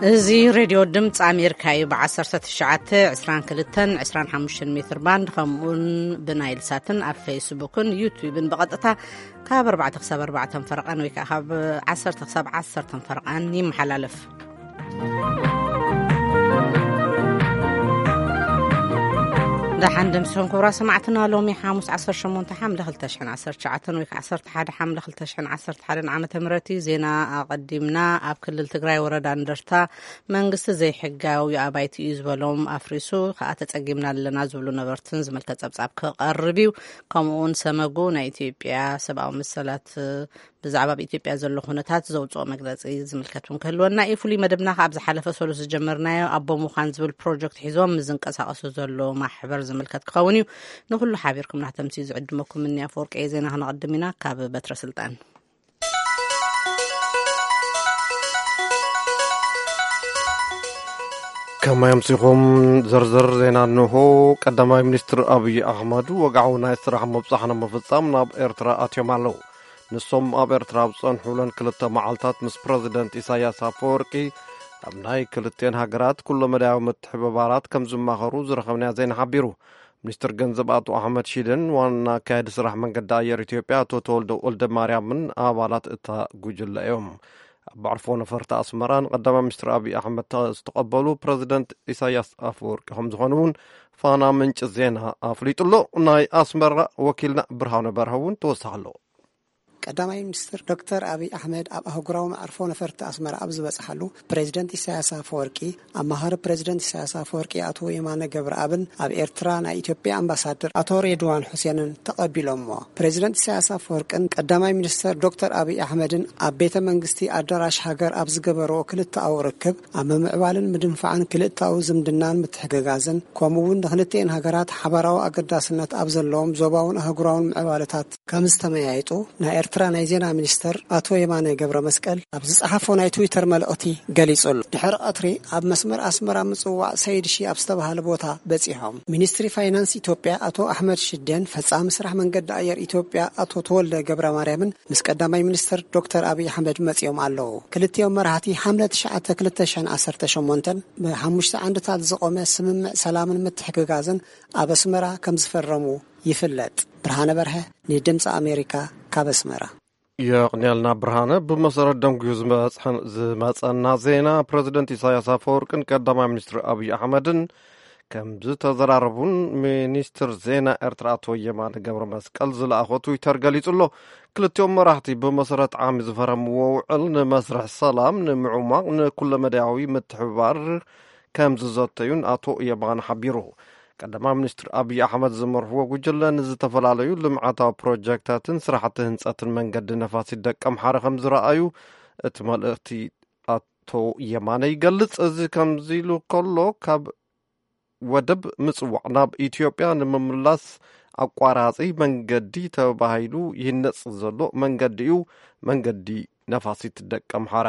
እዚ ሬድዮ ድምፂ ኣሜሪካ እዩ። ብ19፣ 22፣ 25 ሜትር ባንድ፣ ከምኡውን ብናይል ሳትን ኣብ ፌስቡክን ዩቲዩብን ብቐጥታ ካብ ኣርባዕተ ክሳብ ኣርባዕተ ፈረቓን ወይ ከዓ ካብ ዓሰርተ ክሳብ ዓሰርተ ፈረቓን ይመሓላለፍ። ደሓን ደምስኹም ክቡራት ሰማዕትና። ሎሚ ሓሙስ ዓሰርተ ሸሞንተ ሓምለ ክልተ ሽሕን ዓሰርተ ትሽዓተን ወይ ከዓ ዓሰርተ ሓደ ሓምለ ክልተ ሽሕን ዓሰርተ ሓደን ዓመተ ምህረት እዩ። ዜና ኣቐዲምና። ኣብ ክልል ትግራይ ወረዳ እንደርታ መንግስቲ ዘይሕጋዊ ኣባይቲ እዩ ዝበሎም ኣፍሪሱ ከዓ ተፀጊምና ኣለና ዝብሉ ነበርትን ዝምልከት ፀብፃብ ክቐርብ እዩ። ከምኡ እውን ሰመጉ ናይ ኢትዮጵያ ሰብኣዊ መሰላት ብዛዕባ ኣብ ኢትዮጵያ ዘሎ ኩነታት ዘውፅኦ መግለፂ ዝምልከት እውን ክህልወና እዩ። ፍሉይ መደብና ከዓ ኣብ ዝሓለፈ ሰሉስ ዝጀመርናዮ ኣቦ ምዃን ዝብል ፕሮጀክት ሒዞም ምስ ዝንቀሳቐሱ ዘሎ ማሕበር ዝምልከት ክኸውን እዩ። ንኩሉ ሓቢርኩም ናተምሲ ዝዕድመኩም እኒ ኣፈወርቂ ዜና ክነቐድም ኢና። ካብ በትረ ስልጣን ከማይ ኣምሲኹም ዝርዝር ዜና እንሆ። ቀዳማይ ሚኒስትር ኣብይ ኣሕመድ ወግዓዊ ናይ ስራሕ ምብጻሕ ንምፍጻም ናብ ኤርትራ ኣትዮም ኣለዉ። ንሶም ኣብ ኤርትራ ኣብ ዝጸንሑለን ክልተ መዓልታት ምስ ፕረዚደንት ኢሳያስ ኣፈወርቂ ኣብ ናይ ክልቴን ሃገራት ኩለመዳያዊ ምትሕብባራት ከም ዝማኸሩ ዝረኸብናዮ ዜና ሓቢሩ። ሚኒስትር ገንዘብ ኣቶ ኣሕመድ ሺደን ዋና ኣካያዲ ስራሕ መንገዲ ኣየር ኢትዮጵያ ኣቶ ተወልደ ወልደ ማርያምን ኣባላት እታ ጉጅለ እዮም። ኣብ ኣዕርፎ ነፈርቲ ኣስመራ ንቀዳማይ ሚኒስትር ኣብይ ኣሕመድ ዝተቐበሉ ፕረዚደንት ኢሳያስ ኣፈወርቂ ከም ዝኾኑ እውን ፋና ምንጭ ዜና ኣፍሊጡ ኣሎ። ናይ ኣስመራ ወኪልና ብርሃነ በርሀ እውን ተወሳኺ ኣለዎ። ቀዳማይ ሚኒስትር ዶክተር ኣብይ ኣሕመድ ኣብ ኣህጉራዊ መዕርፎ ነፈርቲ ኣስመራ ኣብ ዝበጽሓሉ፣ ፕሬዚደንት ኢሳያስ ኣፈወርቂ፣ ኣማኻሪ ፕሬዚደንት ኢሳያስ ኣፈወርቂ ኣቶ የማነ ገብረኣብን ኣብ ኤርትራ ናይ ኢትዮጵያ ኣምባሳደር ኣቶ ሬድዋን ሑሴንን ተቐቢሎምዎ። ፕሬዚደንት ኢሳያስ ኣፈወርቅን ቀዳማይ ሚኒስተር ዶክተር ኣብይ ኣሕመድን ኣብ ቤተ መንግስቲ ኣዳራሽ ሃገር ኣብ ዝገበርዎ ክልተኣዊ ርክብ፣ ኣብ ምምዕባልን ምድንፋዕን ክልተኣዊ ዝምድናን ምትሕግጋዝን፣ ከምኡ እውን ንክልቲኤን ሃገራት ሓባራዊ ኣገዳስነት ኣብ ዘለዎም ዞባውን ኣህጉራውን ምዕባለታት ከም ዝተመያየጡ ናይ ኤርትራ ናይ ዜና ሚኒስተር ኣቶ የማነ ገብረ መስቀል ኣብ ዝጸሓፎ ናይ ትዊተር መልእኽቲ ገሊጹ ኣሎ። ድሕሪ ቀትሪ ኣብ መስመር ኣስመራ ምጽዋዕ ሰይድ ሺ ኣብ ዝተባህለ ቦታ በጺሖም። ሚኒስትሪ ፋይናንስ ኢትዮጵያ ኣቶ ኣሕመድ ሽዴን ፈጻሚ ስራሕ መንገዲ ኣየር ኢትዮጵያ ኣቶ ተወልደ ገብረ ማርያምን ምስ ቀዳማይ ሚኒስትር ዶክተር ኣብይ ኣሕመድ መጺኦም ኣለዉ። ክልቲኦም መራሕቲ ሓምለ ትሽዓተ ክልተ ሽሕን ዓሰርተ ሸሞንተን ብሓሙሽተ ዓንድታት ዝቖመ ስምምዕ ሰላምን ምትሕግጋዝን ኣብ ኣስመራ ከም ዝፈረሙ ይፍለጥ። ብርሃነ በርሀ ንድምፂ ኣሜሪካ ካብ ኣስመራ። የቕንየልና ብርሃነ። ብመሰረት ደንጉዩ ዝመጽሐን-፣ ዝመጸና ዜና፣ ፕረዚደንት ኢሳያስ ኣፈወርቅን ቀዳማይ ሚኒስትር ኣብይ ኣሕመድን ከም ዝተዘራረቡን ሚኒስትር ዜና ኤርትራ ኣቶ የማነ ገብረ መስቀል ዝለኣኾ ትዊተር ገሊጹ ኣሎ። ክልቲኦም መራሕቲ ብመሰረት ዓሚ ዝፈረምዎ ውዕል ንመስርሕ ሰላም ንምዕሟቕ ንኩለመዳያዊ ምትሕብባር ከም ዝዘተዩን ኣቶ የማነ ሓቢሩ። ቀዳማይ ሚኒስትር ኣብይ ኣሕመድ ዝመርሕዎ ጉጅለ ንዝተፈላለዩ ልምዓታዊ ፕሮጀክታትን ስራሕቲ ህንፀትን መንገዲ ነፋሲት ደቀምሓረ ከም ዝረኣዩ እቲ መልእኽቲ ኣቶ የማነ ይገልጽ። እዚ ከምዚ ኢሉ ከሎ፣ ካብ ወደብ ምጽዋዕ ናብ ኢትዮጵያ ንምምላስ ኣቋራጺ መንገዲ ተባሂሉ ይህነጽ ዘሎ መንገዲ እዩ፣ መንገዲ ነፋሲት ደቀምሓረ።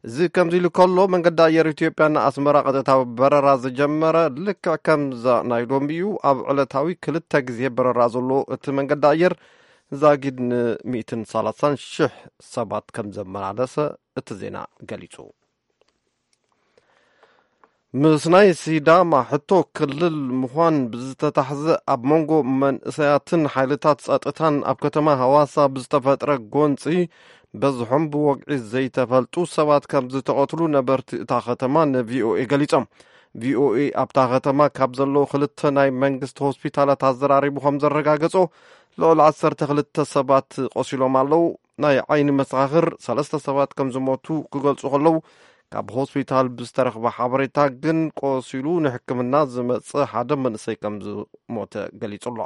እዚ ከምዚ ኢሉ ከሎ፣ መንገዲ ኣየር ኢትዮጵያ ንኣስመራ ቀጥታዊ በረራ ዝጀመረ ልክዕ ከምዛ ናይ ሎሚ እዩ። ኣብ ዕለታዊ ክልተ ግዜ በረራ ዘሎ እቲ መንገዲ ኣየር፣ ዛጊድ ን130,000 ሰባት ከም ዘመላለሰ እቲ ዜና ገሊጹ። ምስ ናይ ሲዳማ ሕቶ ክልል ምዃን ብዝተታሕዘ፣ ኣብ መንጎ መንእሰያትን ሓይልታት ጸጥታን ኣብ ከተማ ሃዋሳ ብዝተፈጥረ ጎንጺ፣ በዝሖም ብወግዒ ዘይተፈልጡ ሰባት ከም ዝተቐትሉ ነበርቲ እታ ከተማ ንቪኦኤ ገሊጾም። ቪኦኤ ኣብታ ከተማ ካብ ዘለዉ ክልተ ናይ መንግስቲ ሆስፒታላት ኣዘራሪቡ ከም ዘረጋገጾ፣ ልዕሊ ዓሰርተ ክልተ ሰባት ቆሲሎም ኣለዉ። ናይ ዓይኒ መሰኻኽር ሰለስተ ሰባት ከም ዝሞቱ ክገልጹ ከለዉ፣ ካብ ሆስፒታል ብዝተረኽበ ሓበሬታ ግን ቆሲሉ ንሕክምና ዝመጸ ሓደ መንእሰይ ከም ዝሞተ ገሊጹ ኣሎ።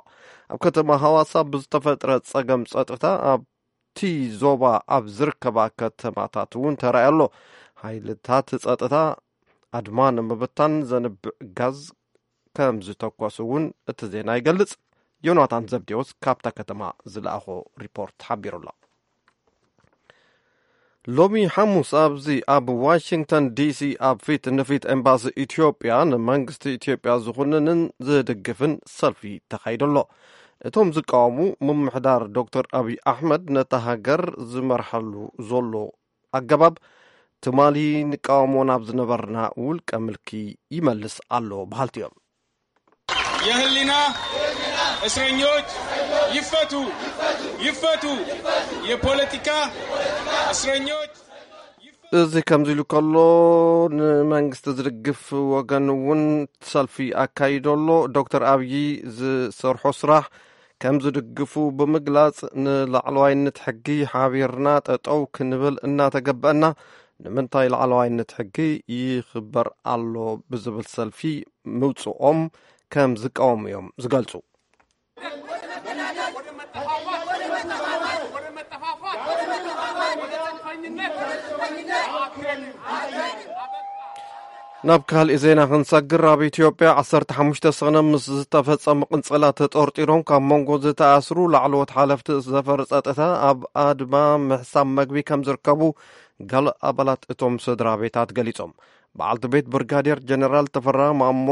ኣብ ከተማ ሃዋሳ ብዝተፈጥረ ጸገም ጸጥታ ኣብቲ ዞባ ኣብ ዝርከባ ከተማታት እውን ተራእዩ ኣሎ። ሓይልታት ጸጥታ ኣድማ ንምብታን ዘንብዕ ጋዝ ከም ዝተኮሱ እውን እቲ ዜና ይገልጽ። ዮናታን ዘብዴዎስ ካብታ ከተማ ዝለኣኾ ሪፖርት ሓቢሩ ኣሎ። ሎሚ ሓሙስ ኣብዚ ኣብ ዋሽንግተን ዲሲ ኣብ ፊት ንፊት ኤምባሲ ኢትዮጵያ ንመንግስቲ ኢትዮጵያ ዝኹንንን ዝድግፍን ሰልፊ ተኻይዱ ኣሎ። እቶም ዝቃወሙ፣ ምምሕዳር ዶክተር ኣብይ ኣሕመድ ነታ ሃገር ዝመርሓሉ ዘሎ ኣገባብ ትማሊ ንቃወሞ ናብ ዝነበርና ውልቀ ምልኪ ይመልስ ኣሎ በሃልቲ እዮም። የህሊና እስረኞች ይፈቱ፣ ይፈቱ፣ የፖለቲካ እስረኞች። እዚ ከምዚ ኢሉ ከሎ፣ ንመንግስቲ ዝድግፍ ወገን እውን ሰልፊ ኣካይዶ ኣሎ። ዶክተር ኣብዪ ዝሰርሖ ስራሕ ከም ዝድግፉ ብምግላጽ፣ ንላዕለዋይነት ሕጊ ሓቢርና ጠጠው ክንብል እናተገበአና፣ ንምንታይ ላዕለዋይነት ሕጊ ይኽበር ኣሎ ብዝብል ሰልፊ ምውፅኦም ከም ዝቃወሙ እዮም ዝገልጹ። ናብ ካልእ ዜና ክንሰግር፣ ኣብ ኢትዮጵያ ዓሰርተ ሓሙሽተ ሰነ ምስ ዝተፈጸሙ ቅንጸላ ተጠርጢሮም ካብ መንጎ ዝተኣስሩ ላዕለዎት ሓለፍቲ ዘፈር ጸጥታ ኣብ ኣድማ ምሕሳብ መግቢ ከም ዝርከቡ ገለ ኣባላት እቶም ስድራ ቤታት ገሊጾም። በዓልቲ ቤት ብርጋዴር ጀነራል ተፈራ ማሞ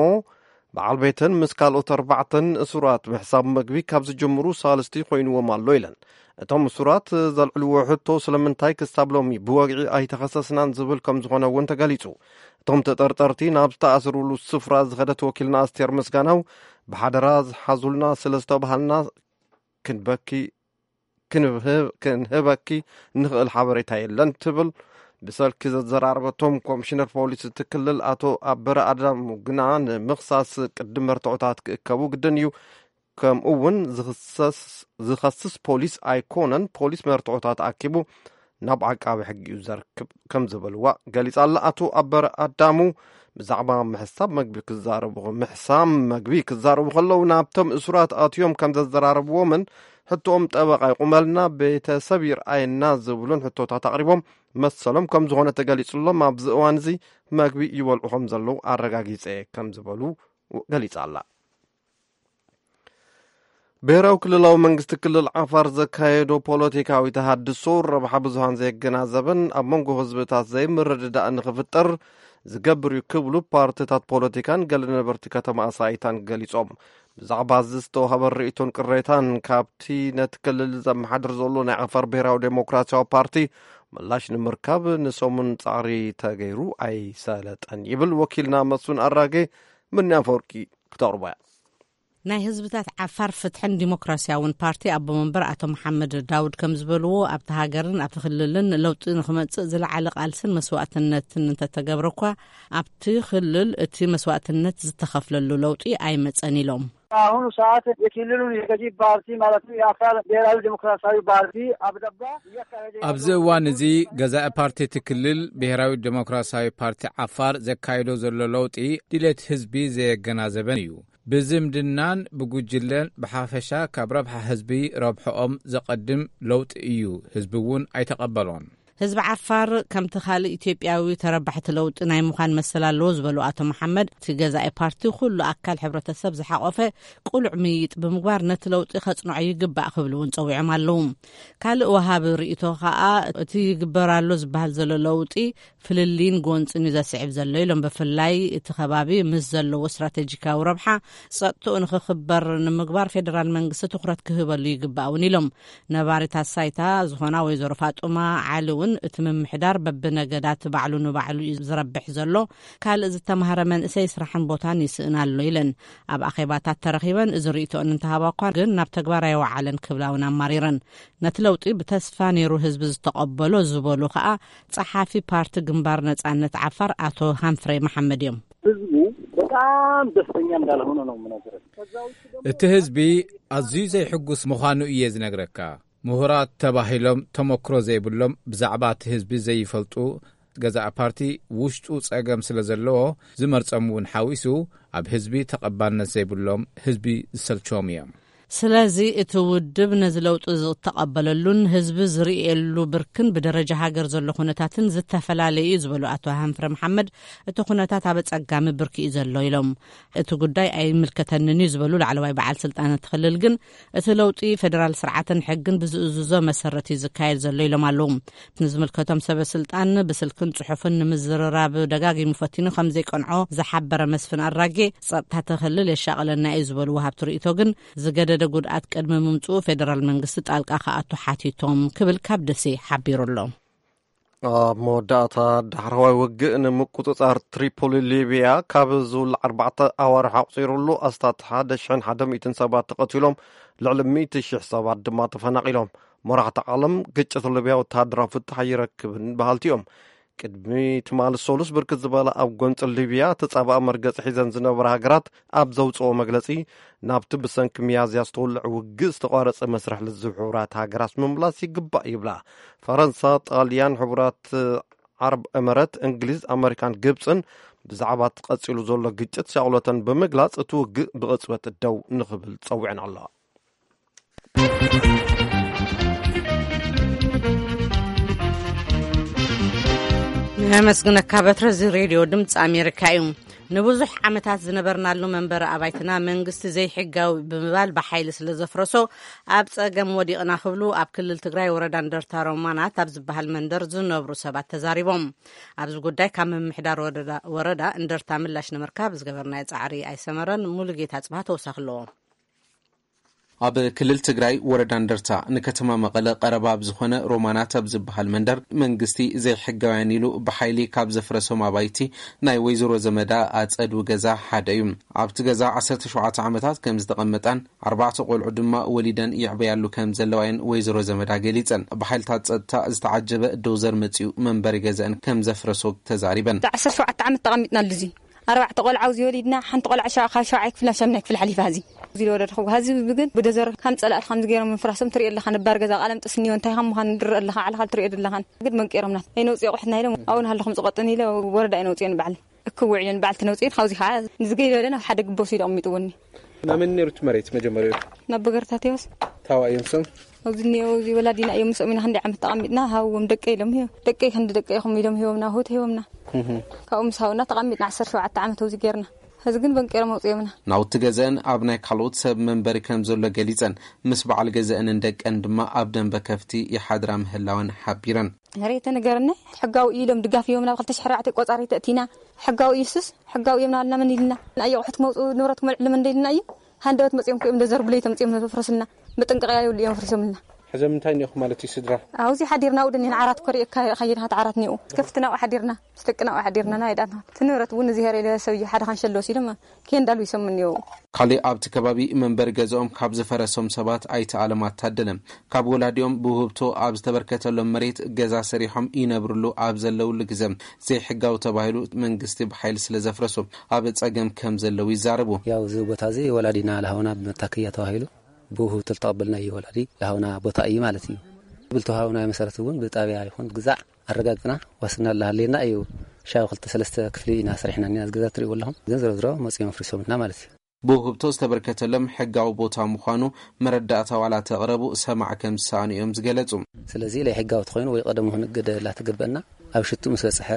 በዓል ቤተን ምስ ካልኦት ኣርባዕተን እሱራት ምሕሳብ መግቢ ካብ ዝጅምሩ ሳልስቲ ኮይንዎም ኣሎ ኢለን። እቶም እሱራት ዘልዕልዎ ሕቶ ስለምንታይ ክሳብ ሎሚ ብወግዒ ኣይተኸሰስናን ዝብል ከም ዝኾነ እውን ተገሊጹ። እቶም ተጠርጠርቲ ናብ ዝተኣስሩሉ ስፍራ ዝኸደት ወኪልና ኣስቴር ምስጋናው፣ ብሓደራ ዝሓዙልና ስለ ዝተባሃልና ክንበኪ ክንህበኪ ንኽእል ሓበሬታ የለን ትብል። ብሰልኪ ዘዘራረበቶም ኮሚሽነር ፖሊስ እቲ ክልል ኣቶ ኣበረ ኣዳሙ ግና፣ ንምኽሳስ ቅድም መርትዖታት ክእከቡ ግድን እዩ። ከምኡ እውን ዝኸስስ ፖሊስ ኣይኮነን፣ ፖሊስ መርትዖታት ኣኪቡ ናብ ዓቃቢ ሕጊ እዩ ዘርክብ ከም ዝበልዋ ገሊጻ ኣላ። ኣቶ ኣበረ ኣዳሙ ብዛዕባ ምሕሳብ መግቢ ክዛረቡ ምሕሳም መግቢ ክዛረቡ ከለዉ፣ ናብቶም እሱራት ኣትዮም ከም ዘዘራረብዎምን ሕቶኦም ጠበቃ ይቁመልና፣ ቤተሰብ ይርኣየና ዝብሉን ሕቶታት ኣቕሪቦም፣ መሰሎም ከም ዝኾነ ተገሊጹሎም፣ ኣብዚ እዋን እዚ መግቢ ይበልዑ ከም ዘለዉ ኣረጋጊጸ ከም ዝበሉ ገሊጻ ኣላ። ብሔራዊ ክልላዊ መንግስቲ ክልል ዓፋር ዘካየዶ ፖለቲካዊ ተሃድሶ ረብሓ ብዙሃን ዘየገናዘበን ኣብ መንጎ ህዝብታት ዘይምርድዳእ ንኽፍጠር ዝገብር እዩ ክብሉ ፓርቲታት ፖለቲካን ገለ ነበርቲ ከተማ ኣሳይታን ገሊጾም። ብዛዕባ እዚ ዝተዋህበ ርእይቶን ቅሬታን ካብቲ ነቲ ክልል ዘመሓድር ዘሎ ናይ ዓፋር ብሔራዊ ዴሞክራሲያዊ ፓርቲ ምላሽ ንምርካብ ንሰሙን ጻዕሪ ተገይሩ ኣይሰለጠን ይብል ወኪልና መስፍን ኣራጌ። ምኒ ኣፈወርቂ ክተቕርቦ እያ። ናይ ህዝብታት ዓፋር ፍትሕን ዲሞክራሲያውን ፓርቲ ኣቦ መንበር ኣቶ መሓመድ ዳውድ ከም ዝበልዎ ኣብቲ ሃገርን ኣብቲ ክልልን ለውጢ ንክመጽእ ዝለዓለ ቃልስን መስዋእትነትን እንተተገብረ እኳ ኣብቲ ክልል እቲ መስዋእትነት ዝተኸፍለሉ ለውጢ ኣይመጸን ኢሎም። በአሁኑ ሰዓት የክልሉን የገዢ ፓርቲ ማለትም የአፋር ብሔራዊ ዴሞክራሲያዊ ፓርቲ አብደባ እያካሄደ ኣብዚ እዋን እዚ ገዛኢ ፓርቲ እቲ ክልል ብሔራዊ ዴሞክራሲያዊ ፓርቲ ዓፋር ዘካይዶ ዘሎ ለውጢ ድሌት ህዝቢ ዘየገናዘበን እዩ። ብዝምድናን ብጉጅለን ብሓፈሻ ካብ ረብሓ ህዝቢ ረብሕኦም ዘቐድም ለውጢ እዩ። ህዝቢ እውን ኣይተቐበሎን። ህዝቢ ዓፋር ከምቲ ካልእ ኢትዮጵያዊ ተረባሕቲ ለውጢ ናይ ምዃን መሰል ኣለዎ ዝበሉ ኣቶ መሓመድ፣ እቲ ገዛኢ ፓርቲ ኩሉ ኣካል ሕብረተሰብ ዝሓቖፈ ቅሉዕ ምይይጥ ብምግባር ነቲ ለውጢ ከጽንዖ ይግባእ ክብሉ እውን ጸዊዖም ኣለዉ። ካልእ ወሃቢ ርእይቶ ከኣ እቲ ይግበር ኣሎ ዝበሃል ዘሎ ለውጢ ፍልልይን ጎንፅን እዩ ዘስዕብ ዘሎ ኢሎም። ብፍላይ እቲ ከባቢ ምስ ዘለዎ ስትራቴጂካዊ ረብሓ ጸጥትኡ ንክኽበር ንምግባር ፌደራል መንግስቲ ትኩረት ክህበሉ ይግባእ እውን ኢሎም። ነባሪት ኣሳይታ ዝኾና ወይዘሮ ፋጡማ ዓሊ እውን እቲ ምምሕዳር በብነገዳት ባዕሉ ንባዕሉ እዩ ዝረብሕ ዘሎ፣ ካልእ ዝተማህረ መንእሰይ ስራሕን ቦታን ይስእን ኣሎ ኢለን። ኣብ ኣኼባታት ተረኺበን እዚ ርእይቶኦን እንተሃባ እኳ ግን ናብ ተግባር ኣይወዓለን ክብላ እውን ኣማሪረን። ነቲ ለውጢ ብተስፋ ነይሩ ህዝቢ ዝተቐበሎ ዝበሉ ከኣ ጸሓፊ ፓርቲ ግንባር ነጻነት ዓፋር ኣቶ ሃንፍሬ መሓመድ እዮም። ህዝቡ በጣም ደስተኛ እንዳልሆነ ነው የምነግርህ። ከዛ ውጭ ደግሞ እቲ ህዝቢ ኣዝዩ ዘይሕጉስ ምዃኑ እየ ዝነግረካ። ምሁራት ተባሂሎም ተመክሮ ዘይብሎም፣ ብዛዕባ እቲ ህዝቢ ዘይፈልጡ፣ ገዛኢ ፓርቲ ውሽጡ ጸገም ስለ ዘለዎ ዝመርጾም እውን ሓዊሱ ኣብ ህዝቢ ተቐባልነት ዘይብሎም፣ ህዝቢ ዝሰልችዎም እዮም። ስለዚ እቲ ውድብ ነዚ ለውጢ ዝተቐበለሉን ህዝቢ ዝርእየሉ ብርክን ብደረጃ ሃገር ዘሎ ኩነታትን ዝተፈላለየ እዩ ዝበሉ ኣቶ ሃንፍረ መሓመድ፣ እቲ ኩነታት ኣብ ኣጸጋሚ ብርኪ እዩ ዘሎ ኢሎም። እቲ ጉዳይ ኣይምልከተንን እዩ ዝበሉ ላዕለዋይ በዓል ስልጣን እቲ ክልል ግን፣ እቲ ለውጢ ፌደራል ስርዓትን ሕግን ብዝእዝዞ መሰረት እዩ ዝካየድ ዘሎ ኢሎም ኣለዉ። ንዝምልከቶም ሰበ ስልጣን ብስልክን ጽሑፍን ንምዝርራብ ደጋጊሙ ፈቲኑ ከም ዘይቀንዖ ዝሓበረ መስፍን ኣራጌ፣ ጸጥታ እቲ ክልል የሻቕለና እዩ ዝበሉ ወሃብቲ ርእይቶ ግን፣ ዝገደደ ጉድኣት ቅድሚ ምምጽኡ ፌደራል መንግስቲ ጣልቃ ክኣቱ ሓቲቶም ክብል ካብ ደሴ ሓቢሩ ኣሎ። ኣብ መወዳእታ፣ ዳሕረዋይ ውግእ ንምቁጽጻር ትሪፖሊ ሊብያ ካብ ዝውላዕ ኣርባዕተ ኣዋርሕ ኣቑጺሩሉ፣ ኣስታት ሓደ ሽሕን ሓደ ሚእትን ሰባት ተቐቲሎም፣ ልዕሊ ሚእቲ ሽሕ ሰባት ድማ ተፈናቒሎም። መራሕቲ ዓለም፣ ግጭት ሊብያ ወተሃደራዊ ፍታሕ ኣይረክብን በሃልቲ እዮም። ቅድሚ ትማሊ ሰሉስ፣ ብርክት ዝበላ ኣብ ጎንፂ ሊብያ ተጻባእ መርገጺ ሒዘን ዝነበራ ሃገራት ኣብ ዘውፅኦ መግለጺ፣ ናብቲ ብሰንኪ ሚያዝያ ዝተወልዐ ውግእ ዝተቋረጸ መስርሕ ልዝብ ሕቡራት ሃገራት ምምላስ ይግባእ ይብላ። ፈረንሳ፣ ጣልያን፣ ሕቡራት ዓረብ ኤመረት፣ እንግሊዝ፣ ኣመሪካን ግብፅን ብዛዕባ እቲ ቀፂሉ ዘሎ ግጭት ሻቕሎተን ብምግላፅ፣ እቲ ውግእ ብቕፅበት ደው ንኽብል ጸዊዐን ኣለዋ። ነመስግነካ በትረ። እዚ ሬድዮ ድምፂ ኣሜሪካ እዩ። ንብዙሕ ዓመታት ዝነበርናሉ መንበሪ ኣባይትና መንግስቲ ዘይሕጋዊ ብምባል ብሓይሊ ስለ ዘፍረሶ፣ ኣብ ጸገም ወዲቕና ክብሉ ኣብ ክልል ትግራይ ወረዳ እንደርታ ሮማናት ኣብ ዝበሃል መንደር ዝነብሩ ሰባት ተዛሪቦም። ኣብዚ ጉዳይ ካብ ምምሕዳር ወረዳ፣ ወረዳ እንደርታ ምላሽ ንምርካብ ዝገበርናዮ ጻዕሪ ኣይሰመረን። ሙሉጌታ ጽባህ ተወሳኺ ኣለዎ። ኣብ ክልል ትግራይ ወረዳ እንደርታ ንከተማ መቐለ ቀረባ ኣብ ዝኾነ ሮማናት ኣብ ዝበሃል መንደር መንግስቲ ዘይሕጋውያን ኢሉ ብሓይሊ ካብ ዘፍረሶም ኣባይቲ ናይ ወይዘሮ ዘመዳ ኣጸዱ ገዛ ሓደ እዩ። ኣብቲ ገዛ ዓሰርተ ሸውዓተ ዓመታት ከም ዝተቐመጣን ኣርባዕተ ቆልዑ ድማ ወሊደን ይዕበያሉ ከም ዘለዋየን ወይዘሮ ዘመዳ ገሊጸን። ብሓይልታት ጸጥታ ዝተዓጀበ ዶዘር መጺኡ መንበሪ ገዛን ከም ዘፍረሶ ተዛሪበን። ዓሰርተ ሸውዓተ ዓመት ተቐሚጥናሉ እዚ ኣርባዕተ ቆልዓ ኣብዚ ወሊድና፣ ሓንቲ ቆልዓ ሸ-፣ ካብ ሸውዓይ ክፍሊ ናብ ሻምናይ ክፍሊ ሓሊፋ፣ እዚ፣ እዚ ዝወለድኹ፣ እዚ ግን ብደዘር ከም ጸላእቲ ከምዚ ገይሮም ምፍራሶም ትሪኦ ኣለኻ። ነባር ገዛ ቃለምጥስ እኒኦ፣ እንታይ ከም ምዃኑ ንድረእ ኣለኻ፣ ዓለኻ ትሪኦ ኣለኻን። ግን መንቂሮምና። ኣይነውፅዮ ኣቑሑትና ኢሎም፣ ኣብኡ ንሃለኹም ዝቐጥን ኢለ ወረዳ ኣይነውፅዮን በዓል። እክውዕ ኢለን በዓል ትነውፅየን፣ ካብዚ ከዓ ንዝገይ በለ ናብ ሓደ ግቦ ወሲዱ ኣቕሚጥዎኒ። ናመን ነይሩ እቲ መሬት መጀመርያ? ናብ በገርታቴዎስ። ታዋ እዮም ሰም? ኣብዚ እኒኦ፣ እዚ ወላዲና እዮም፣ ምስኦም ኢና ክንደይ ዓመት ተቐሚጥና፣ ሃብዎም ደቀ ኢሎም፣ ደቀይ ክንዲ ደቀ ኢኹም ኢሎም ሂቦምና፣ ሆት ሂቦምና። ካብኡ ምስ ሃውና ተቐሚጥና ዓሰርተ ሸውዓተ ዓመት ኣብዚ ጌርና። ሕዚ ግን በንቄሮም ኣውፅኦምና። ናውቲ ገዘአን ኣብ ናይ ካልኦት ሰብ መንበሪ ከም ዘሎ ገሊፀን፣ ምስ በዓል ገዘአንን ደቀን ድማ ኣብ ደንበ ከፍቲ ይሓድራ ምህላወን ሓቢረን። መሬት ተነገረና፣ ሕጋዊ እዩ ኢሎም ድጋፍ ሂቦምና፣ ብ ክልተ ሽሕ ኣርባዕተ ቆፃሪ ተእቲና፣ ሕጋዊ እዩ ሱስ፣ ሕጋዊ እዮም ናበልና መን ኢልና፣ ንኣየቑሑት ክመውፅኡ ንብረት ክመልዕሉ መን ኢልና እዩ። ሃንደበት መፂኦም ክእም ደዘርቡ ለይቲ መፂኦም ነፍረስልና፣ መጠንቀቕያ የብሉ እዮም ኣፍሪሶምልና። ሕዚ ምንታይ እኒኦኹም ማለት እዩ ስድራ? ኣብዚ ሓዲርና ውድን ኢና ዓራት ኮሪእ ካየድኻ ዓራት እኒኡ። ከፍትና ሓዲርና፣ ምስ ደቅና ሓዲርና ናይ ዳና። እቲ ንብረት እውን እዚ ሄረ ኢለ ሰብዩ ሓደ ካንሸሎ ወሲዶም ኬንዳሉ ይሰሙ እኒኦ። ካልእ ኣብቲ ከባቢ መንበሪ ገዛኦም ካብ ዝፈረሶም ሰባት ኣይተ ኣለማት ታደለ፣ ካብ ወላዲኦም ብውህብቶ ኣብ ዝተበርከተሎም መሬት ገዛ ሰሪሖም ይነብርሉ ኣብ ዘለውሉ ግዘ፣ ዘይሕጋዊ ተባሂሉ መንግስቲ ብሓይሊ ስለ ዘፍረሶ ኣብ ጸገም ከም ዘለዉ ይዛረቡ። ያው እዚ ቦታ እዚ ወላዲና ለሃውና ብመታከያ ተባሂሉ ብውህብቶ ዝተቐበልናዮ ወላዲ ለሃውና ቦታ እዩ ማለት እዩ። ብልተዋሃብናዮ መሰረት እውን ብጣብያ ይኹን ግዛዕ ኣረጋግጥና ዋስትና ለሃለየና እዩ። ሻው ክልተ ሰለስተ ክፍሊ ኢና ሰሪሕና እኒና፣ እዚ ገዛ ትሪእዎ ኣለኹም። ግን ዝሮ ዝሮ መፂኦም ኣፍሪሶምልና ማለት እዩ። ብውህብቶ ዝተበርከተሎም ሕጋዊ ቦታ ምዃኑ መረዳእታ ዋላ ተቕረቡ ሰማዕ ከም ዝሰኣኑ እዮም ዝገለጹ። ስለዚ ለይ ሕጋዊ ተኾይኑ ወይ ቀደሙ ክንገደላ ተገበአና፣ ኣብ ሽቱ ምስ በጽሐ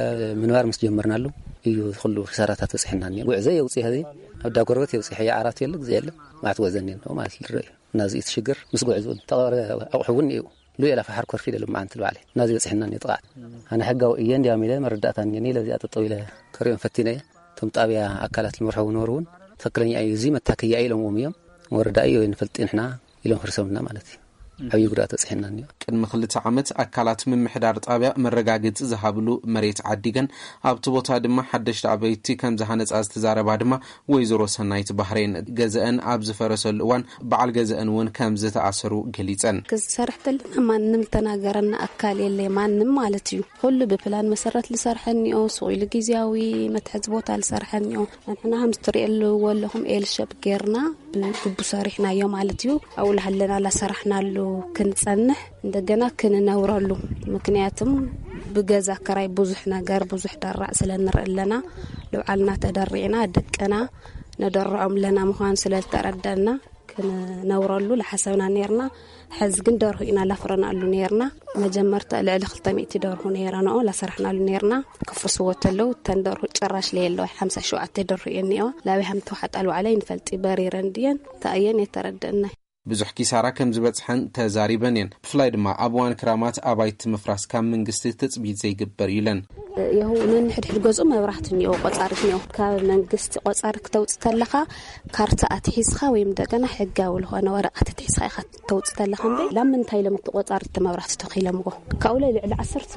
ምንባር ምስ ጀመርናሉ እዩ ኩሉ ክሳራታት በጽሐና እኒኦ። ጉዕዘ የውጽእ ኸዚ ኣብ ዳ ጎረበት የውጽእ፣ ሕያ ዓራት የለ፣ ግዜ የለ፣ ማዕት ወዘን የለ ማለት ዝረአ እዩ። እና እዚ እቲ ሽግር ምስ ጉዕዝኡ ተቐረ ኣቑሑ እውን እዩ። ሉኤላ ፈሓር ኮርፊ ኢለ ሎማዓንቲ ልባዕለ ናዚ በጽሐና እኒኦ ጥቓዕ። ኣነ ሕጋዊ እየ እንዲያም ኢለ መረዳእታ እኒኒ፣ ለዚኣ ጠጠው ኢለ ከሪኦም ፈቲነ እየ። እቶም ጣብያ ኣካላት ልምርሑ ነበሩ እውን ትኽክለኛ እዩ፣ እዚ መታከያ ኢሎምዎም እዮም። ወረዳ እዩ ወይ ንፈልጥ ንሕና ኢሎም ፍርሶምና ማለት እዩ። ዓብዪ ጉድኣት በጽሐና እኒኦ። ቅድሚ ክልተ ዓመት ኣካላት ምምሕዳር ጣብያ መረጋገጺ ዝሃብሉ መሬት ዓዲገን ኣብቲ ቦታ ድማ ሓደሽቲ ኣበይቲ ከም ዝሃነጻ ዝተዛረባ ድማ ወይዘሮ ሰናይት ባህሬን፣ ገዘአን ኣብ ዝፈረሰሉ እዋን በዓል ገዘአን እውን ከም ዝተኣሰሩ ገሊጸን። ክሰርሕ ተለና ማንም ተናገረና ኣካል የለ፣ ማንም ማለት እዩ። ኩሉ ብፕላን መሰረት ዝሰርሐ እኒኦ፣ ሱቕ ኢሉ ግዝያዊ መትሐዚ ቦታ ዝሰርሐ እኒኦ። ንሕና ከም ዝትሪእሉ ወለኹም ኤል ሸፕ ጌርና ብግቡ ሰሪሕናዮ ማለት እዩ። ኣብኡ ለሃለና ላሰራሕናሉ ክንጸንሕ እንደገና ክንነብረሉ። ምክንያቱም ብገዛ ክራይ ብዙሕ ነገር፣ ብዙሕ ደራዕ ስለ ንርኢ ኣለና። ልብዓልና ተደሪዕና፣ ደቅና ነደርዖም ኣለና ምዃኑ ስለ ዝተረደና፣ ክንነብረሉ ለሓሰብና ነይርና። ሕዚ ግን ደርሁ ኢና ላፍረናሉ ነይርና። መጀመርታ ልዕሊ ክልተ ሚእቲ ደርሁ ነይረንኦ ላሰራሕናሉ ነይርና። ክፍርስዎ ተለው፣ እተን ደርሁ ጭራሽ ለየለዋ፣ ሓምሳ ሸውዓተ ደርሁ እየን እኒኦ። ላበይ ሃም ተዋሓጣ ልባዕለ ይንፈልጢ፣ በሪረን ድየን ተኣየን የተረድእና። ብዙሕ ኪሳራ ከም ዝበጽሐን ተዛሪበን እየን። ብፍላይ ድማ ኣብ እዋን ክራማት ኣባይቲ ምፍራስ ካብ መንግስቲ ትጽቢት ዘይግበር እዩ ኢለን። የሁ ነንሕድሕድ ገዝኡ መብራህቲ እኒኦ፣ ቆጻሪት እኒኦ። ካብ መንግስቲ ቆጻሪ ክተውፅ ተለኻ ካርታ ኣትሒዝኻ ወይም እንደገና ሕጋዊ ዝኾነ ወረቐት ኣትሒዝኻ ኢኻ ተውፅ ተለኻ። እምበይ ላብ ምንታይ ኢሎም እቲ ቆጻሪ እቲ መብራህቲ ተኺሎምዎ? ካብኡ ላይ ልዕሊ ዓሰርተ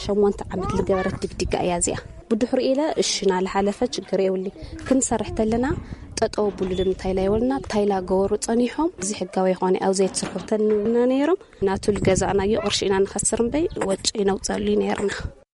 ሸሞንተ ዓመት ዝገበረት ድግዲጋ እያ እዚኣ። ብድሕሪኡ ኢለ እሺ ናለ ሓለፈ ችግር የብሊ፣ ክንሰርሕ ተለና ጠጠው ብሉ ንምንታይ ኢላ ይበሉና። ታይላ ገበሩ ጸኒሖም እዚ ሕጋዊ ይኾነ ኣብ ዘይትስርሑ ተንና ነይሮም። ናቱ ልገዛእናዮ ቅርሺ ኢና ንኸስር እምበይ ወጪ ነውፀሉ ነይርና።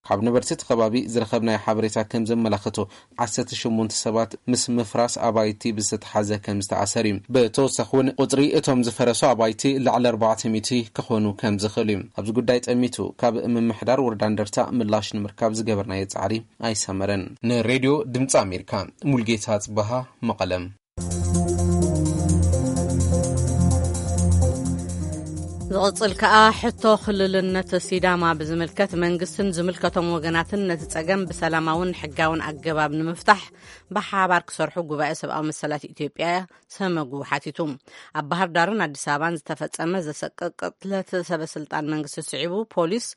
ካብ ነበርቲ እቲ ከባቢ ዝረኸብናዮ ሓበሬታ ከም ዘመላኽቶ፣ ዓሰርተ ሸሞንተ ሰባት ምስ ምፍራስ ኣባይቲ ብዝተተሓዘ ከም ዝተኣሰር እዩ። ብተወሳኺ እውን ቁፅሪ እቶም ዝፈረሱ ኣባይቲ ልዕሊ ኣርባዕተ ሚእቲ ክኾኑ ከም ዝኽእል እዩ። ኣብዚ ጉዳይ ጠሚቱ ካብ ምምሕዳር ወረዳ እንደርታ ምላሽ ንምርካብ ዝገበርናዮ ፃዕሪ ኣይሰመረን። ንሬድዮ ድምፂ ኣሜሪካ፣ ሙልጌታ ጽበሃ፣ መቐለም። ዝቕጽል ከኣ ሕቶ ክልልነት ሲዳማ ብዝምልከት መንግስትን ዝምልከቶም ወገናትን ነቲ ጸገም ብሰላማውን ሕጋውን ኣገባብ ንምፍታሕ ብሓባር ክሰርሑ ጉባኤ ሰብኣዊ መሰላት ኢትዮጵያ ሰመጉ ሓቲቱ። ኣብ ባህር ዳርን ኣዲስ ኣበባን ዝተፈጸመ ዘሰቅቕ ቅትለት ሰበ ስልጣን መንግስቲ ስዒቡ ፖሊስ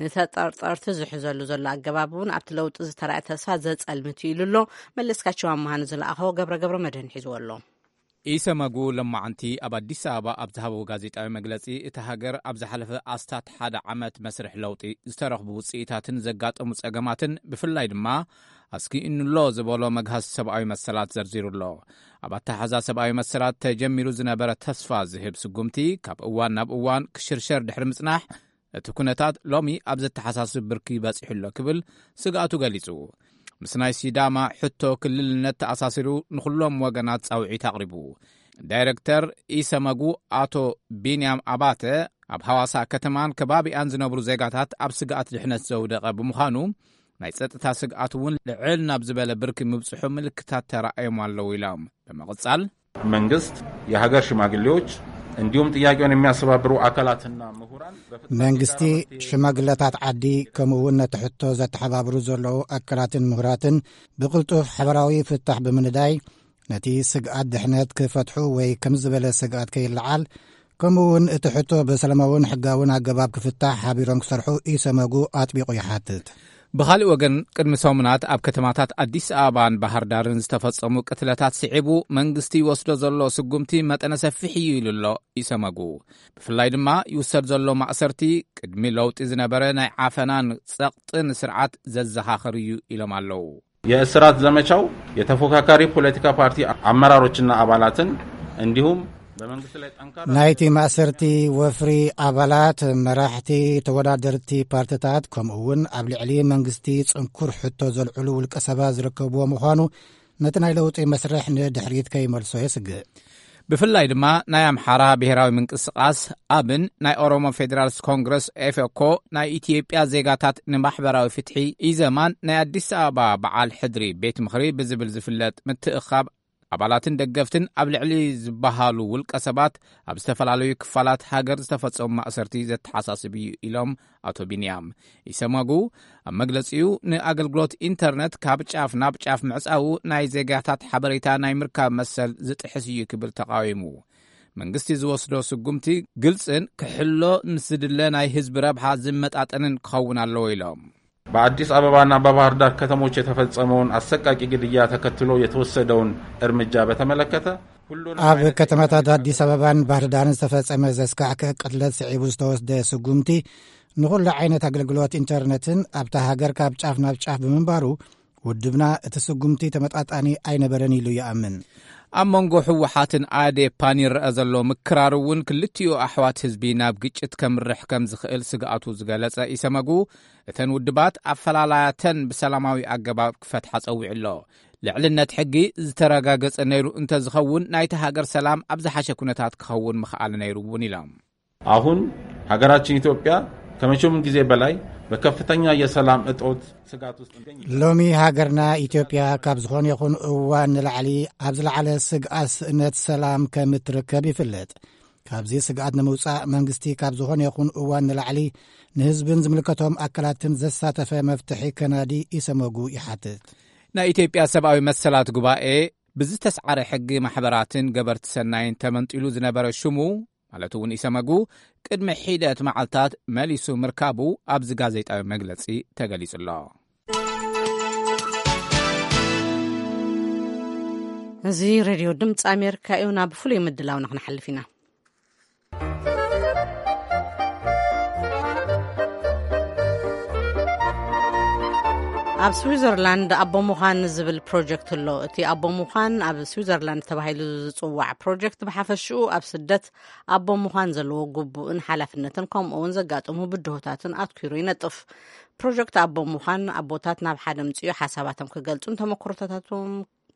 ንተጠርጠርቲ ዝሕዘሉ ዘሎ ኣገባብ እውን ኣብቲ ለውጢ ዝተራእየ ተስፋ ዘጸልምት እዩ ኢሉ ኣሎ። መለስካቸው ኣመሃ ንዝለኣኸዎ ገብረ ገብረ መድህን ሒዝዎ ኣሎ። ኢሰመጉ ሎማዓንቲ ኣብ ኣዲስ ኣበባ ኣብ ዝሃበዎ ጋዜጣዊ መግለጺ፣ እታ ሃገር ኣብ ዝሓለፈ ኣስታት ሓደ ዓመት መስርሕ ለውጢ ዝተረኽቡ ውጽኢታትን ዘጋጠሙ ጸገማትን፣ ብፍላይ ድማ ኣስጊእኑሎ ዝበሎ መግሃስ ሰብኣዊ መሰላት ዘርዚሩ ኣሎ። ኣብ ኣተሓዛ ሰብኣዊ መሰላት ተጀሚሩ ዝነበረ ተስፋ ዝህብ ስጉምቲ ካብ እዋን ናብ እዋን ክሽርሸር ድሕሪ ምጽናሕ፣ እቲ ኩነታት ሎሚ ኣብ ዘተሓሳስብ ብርኪ በጺሑ ኣሎ ክብል ስግኣቱ ገሊጹ። ምስ ናይ ሲዳማ ሕቶ ክልልነት ተኣሳሲሩ ንኹሎም ወገናት ጻውዒት ኣቕሪቡ። ዳይረክተር ኢሰመጉ ኣቶ ቢንያም ኣባተ፣ ኣብ ሃዋሳ ከተማን ከባቢኣን ዝነብሩ ዜጋታት ኣብ ስግኣት ድሕነት ዘውደቐ ብምዃኑ፣ ናይ ጸጥታ ስግኣት እውን ልዕል ናብ ዝበለ ብርኪ ምብጽሑ ምልክታት ተራእዮም ኣለዉ ኢሎም። ብምቕጻል፣ መንግስት፣ የሀገር ሽማግሌዎች እንዲሁም ጥያቄውን የሚያስተባብሩ አካላትና ምሁራን በፍጥነት መንግስቲ፣ የጋራ መፍትሄ ሽማግለታት ዓዲ፣ ከምኡ እውን ነቲ ሕቶ ዘተሓባብሩ ዘለዉ ኣካላትን ምሁራትን ብቕልጡፍ ሓበራዊ ፍታሕ ብምንዳይ፣ ነቲ ስግኣት ድሕነት ክፈትሑ ወይ ከም ዝበለ ስግኣት ከይለዓል፣ ከምኡ እውን እቲ ሕቶ ብሰላማውን ሕጋውን ኣገባብ ክፍታሕ ሓቢሮም ክሰርሑ ኢሰመጉ ኣጥቢቑ ይሓትት። ብኻልእ ወገን፣ ቅድሚ ሰሙናት ኣብ ከተማታት ኣዲስ ኣበባን ባህር ዳርን ዝተፈጸሙ ቅትለታት ስዒቡ፣ መንግስቲ ይወስዶ ዘሎ ስጉምቲ መጠነ ሰፊሕ እዩ ኢሉ ኣሎ ኢሰመጉ። ብፍላይ ድማ ይውሰድ ዘሎ ማእሰርቲ፣ ቅድሚ ለውጢ ዝነበረ ናይ ዓፈናን ጸቕጥን ስርዓት ዘዘኻኽር እዩ ኢሎም ኣለዉ። የእስራት ዘመቻው የተፎካካሪ ፖለቲካ ፓርቲ አመራሮችና አባላትን እንዲሁም በመንግስት ላይ ጠንካራ ናይቲ ማእሰርቲ ወፍሪ ኣባላት፣ መራሕቲ ተወዳደርቲ ፓርትታት፣ ከምኡ እውን ኣብ ልዕሊ መንግስቲ ጽንኩር ሕቶ ዘልዕሉ ውልቀ ሰባት ዝርከብዎ ምዃኑ ነቲ ናይ ለውጢ መስርሕ ንድሕሪት ከይመልሶ የስግእ። ብፍላይ ድማ ናይ ኣምሓራ ብሄራዊ ምንቅስቓስ ኣብን ናይ ኦሮሞ ፌዴራልስ ኮንግረስ ኤፌኮ ናይ ኢትዮጵያ ዜጋታት ንማሕበራዊ ፍትሒ ኢዘማን ናይ ኣዲስ ኣበባ በዓል ሕድሪ ቤት ምኽሪ ብዝብል ዝፍለጥ ምትእኻብ ኣባላትን ደገፍትን ኣብ ልዕሊ ዝበሃሉ ውልቀ ሰባት ኣብ ዝተፈላለዩ ክፋላት ሃገር ዝተፈጸሙ ማእሰርቲ ዘተሓሳስብ እዩ ኢሎም ኣቶ ቢንያም። ኢሰመጉ ኣብ መግለጺኡ ንኣገልግሎት ኢንተርነት ካብ ጫፍ ናብ ጫፍ ምዕጻዉ ናይ ዜጋታት ሓበሬታ ናይ ምርካብ መሰል ዝጥሕስ እዩ ክብል ተቓዊሙ። መንግስቲ ዝወስዶ ስጉምቲ ግልጽን ክሕሎ ምስ ዝድለ ናይ ህዝቢ ረብሓ ዝመጣጠንን ክኸውን ኣለዎ ኢሎም። በአዲስ አበባና በባህር ዳር ከተሞች የተፈጸመውን አሰቃቂ ግድያ ተከትሎ የተወሰደውን እርምጃ በተመለከተ ሁሉንም ኣብ አይነት ከተማታት ኣዲስ ኣበባን ባህር ዳርን ዝተፈጸመ ዘስካሕክሕ ቅትለት ስዒቡ ዝተወስደ ስጉምቲ ንኹሉ ዓይነት ኣገልግሎት ኢንተርነትን ኣብታ ሃገር ካብ ጫፍ ናብ ጫፍ ብምንባሩ፣ ውድብና እቲ ስጉምቲ ተመጣጣኒ ኣይነበረን ኢሉ ይኣምን። ኣብ መንጎ ህወሓትን ኣዴፓን ይረአ ዘሎ ምክራር እውን ክልቲኡ ኣሕዋት ህዝቢ ናብ ግጭት ከምርሕ ከም ዝኽእል ስግኣቱ ዝገለጸ ኢሰመጉ፣ እተን ውድባት ኣፈላላያተን ብሰላማዊ ኣገባብ ክፈትሓ ጸዊዑ ኣሎ። ልዕልነት ሕጊ ዝተረጋገጸ ነይሩ እንተዝኸውን፣ ናይቲ ሃገር ሰላም ኣብ ዝሓሸ ኩነታት ክኸውን ምኽኣለ ነይሩ እውን ኢሎም። አሁን ሀገራችን ኢትዮጵያ ከመቼውም ጊዜ በላይ በከፍተኛ የሰላም እጦት ስጋት ውስጥ ትገኛለች። ሎሚ ሃገርና ኢትዮጵያ ካብ ዝኾነ ይኹን እዋን ንላዕሊ ኣብ ዝለዓለ ስግኣት ስእነት ሰላም ከም እትርከብ ይፍለጥ። ካብዚ ስግኣት ንምውጻእ መንግስቲ ካብ ዝኾነ ይኹን እዋን ንላዕሊ ንህዝብን ዝምልከቶም ኣካላትን ዘሳተፈ መፍትሒ ከናዲ ኢሰመጉ ይሓትት። ናይ ኢትዮጵያ ሰብኣዊ መሰላት ጉባኤ ብዝተስዓረ ሕጊ ማሕበራትን ገበርቲ ሰናይን ተመንጢሉ ዝነበረ ሽሙ፣ ማለት እውን ኢሰመጉ፣ ቅድሚ ሒደት መዓልታት መሊሱ ምርካቡ ኣብዚ ጋዜጣዊ መግለጺ ተገሊጹ ኣሎ። እዚ ሬድዮ ድምፂ ኣሜሪካ እዩ። ናብ ፍሉይ ምድላውና ክንሓልፍ ኢና። ኣብ ስዊዘርላንድ ኣቦ ምዃን ዝብል ፕሮጀክት ኣሎ። እቲ ኣቦ ምዃን ኣብ ስዊዘርላንድ ተባሂሉ ዝጽዋዕ ፕሮጀክት ብሓፈሽኡ ኣብ ስደት ኣቦ ምዃን ዘለዎ ግቡእን ሓላፍነትን ከምኡ እውን ዘጋጥሙ ብድሆታትን ኣትኲሩ ይነጥፍ። ፕሮጀክት ኣቦ ምዃን ኣቦታት ናብ ሓደ ምጽኡ ሓሳባቶም ክገልጹን ተመክሮታቶም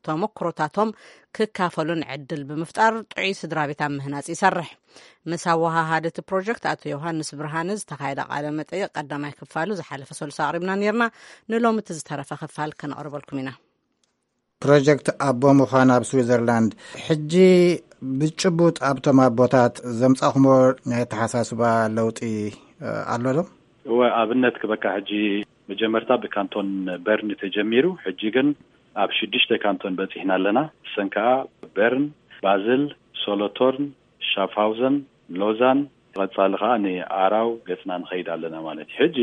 ተመክሮታቶም ክካፈሉን ዕድል ብምፍጣር ጥዑይ ስድራ ቤት ኣብ ምህናጽ ይሰርሕ። ምስ ኣወሃሃዲ እቲ ፕሮጀክት ኣቶ ዮሃንስ ብርሃነ ዝተኻየደ ቃለ መጠይቕ ቀዳማይ ክፋሉ ዝሓለፈ ሰሉስ ኣቕሪብና ነይርና። ንሎሚ እቲ ዝተረፈ ክፋል ከነቕርበልኩም ኢና። ፕሮጀክት ኣቦ ምዃን ኣብ ስዊዘርላንድ ሕጂ ብጭቡጥ ኣብቶም ኣቦታት ዘምጻኹሞ ናይ ኣተሓሳስባ ለውጢ፣ እ፣ ኣሎ ዶ? እወ፣ ኣብነት ክበካ ሕጂ መጀመርታ ብካንቶን በርን ተጀሚሩ፣ ሕጂ ግን ኣብ ሽዱሽተ ካንቶን በጺሕና ኣለና። እሰን ከኣ በርን፣ ባዝል፣ ሶሎቶርን፣ ሻፍሃውዘን፣ ሎዛን፣ ቀጻሊ ከኣ ንኣራው ገጽና ንኸይድ ኣለና ማለት እዩ። ሕጂ